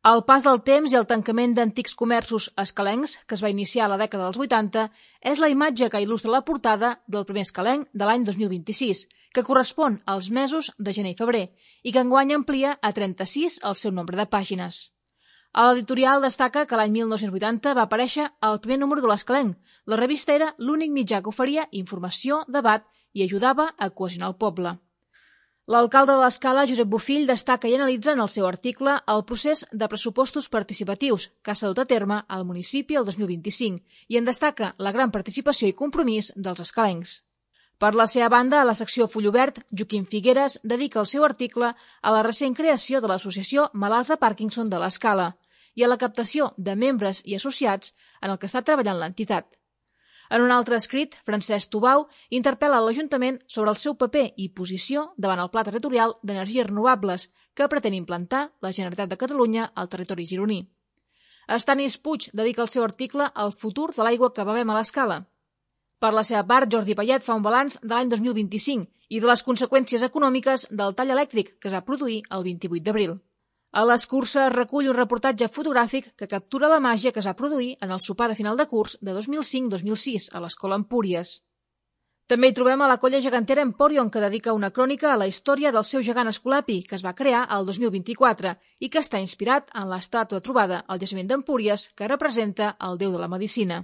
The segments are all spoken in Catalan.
El pas del temps i el tancament d'antics comerços escalencs, que es va iniciar a la dècada dels 80, és la imatge que il·lustra la portada del primer escalenc de l'any 2026, que correspon als mesos de gener i febrer, i que enguany amplia a 36 el seu nombre de pàgines. A l'editorial destaca que l'any 1980 va aparèixer el primer número de l'Escalenc. La revista era l'únic mitjà que oferia informació, debat i ajudava a cohesionar el poble. L'alcalde de l'Escala, Josep Bofill, destaca i analitza en el seu article el procés de pressupostos participatius que s'ha dut a terme al municipi el 2025 i en destaca la gran participació i compromís dels escalencs. Per la seva banda, a la secció Full Obert, Joaquim Figueres dedica el seu article a la recent creació de l'associació Malalts de Parkinson de l'Escala i a la captació de membres i associats en el que està treballant l'entitat. En un altre escrit, Francesc Tubau interpel·la l'Ajuntament sobre el seu paper i posició davant el Pla Territorial d'Energies Renovables que pretén implantar la Generalitat de Catalunya al territori gironí. Estanis Puig dedica el seu article al futur de l'aigua que bevem a l'Escala. Per la seva part, Jordi Payet fa un balanç de l'any 2025 i de les conseqüències econòmiques del tall elèctric que es va produir el 28 d'abril. A l'escurça es recull un reportatge fotogràfic que captura la màgia que es va produir en el sopar de final de curs de 2005-2006 a l'Escola Empúries. També hi trobem a la colla gegantera Emporion, que dedica una crònica a la història del seu gegant Escolapi, que es va crear el 2024 i que està inspirat en l'estàtua trobada al jaciment d'Empúries, que representa el déu de la medicina.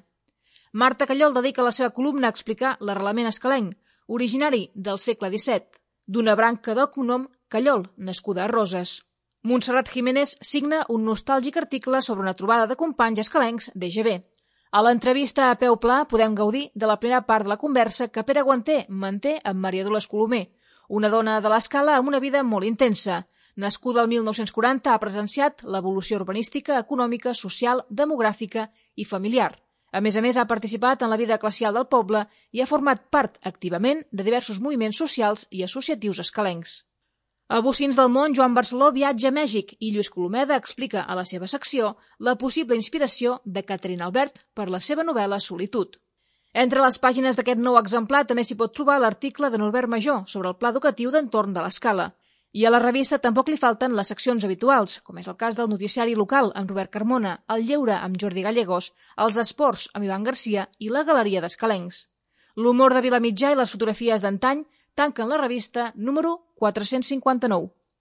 Marta Callol dedica la seva columna a explicar l'arrelament escalenc, originari del segle XVII, d'una branca del cognom Callol, nascuda a Roses. Montserrat Jiménez signa un nostàlgic article sobre una trobada de companys escalencs d'EGB. A l'entrevista a peu pla podem gaudir de la primera part de la conversa que Pere Guanter manté amb Maria Dolors Colomer, una dona de l'Escala amb una vida molt intensa. Nascuda el 1940, ha presenciat l'evolució urbanística, econòmica, social, demogràfica i familiar. A més, ha participat en la vida eclesial del poble i ha format part activament de diversos moviments socials i associatius escalencs. A Bocins del Món, Joan Barceló viatja a Mèxic i Lluís Colomeda explica a la seva secció la possible inspiració de Catherine Albert per la seva novel·la Solitud. Entre les pàgines d'aquest nou exemplar també s'hi pot trobar l'article de Norbert Major sobre el pla educatiu d'entorn de l'Escala. I a la revista tampoc li falten les seccions habituals, com és el cas del noticiari local amb Robert Carmona, el lleure amb Jordi Gallegos, els esports amb Ivan Garcia i la galeria d'escalencs. L'humor de Vilamitjà i les fotografies d'antany tanquen la revista número 459.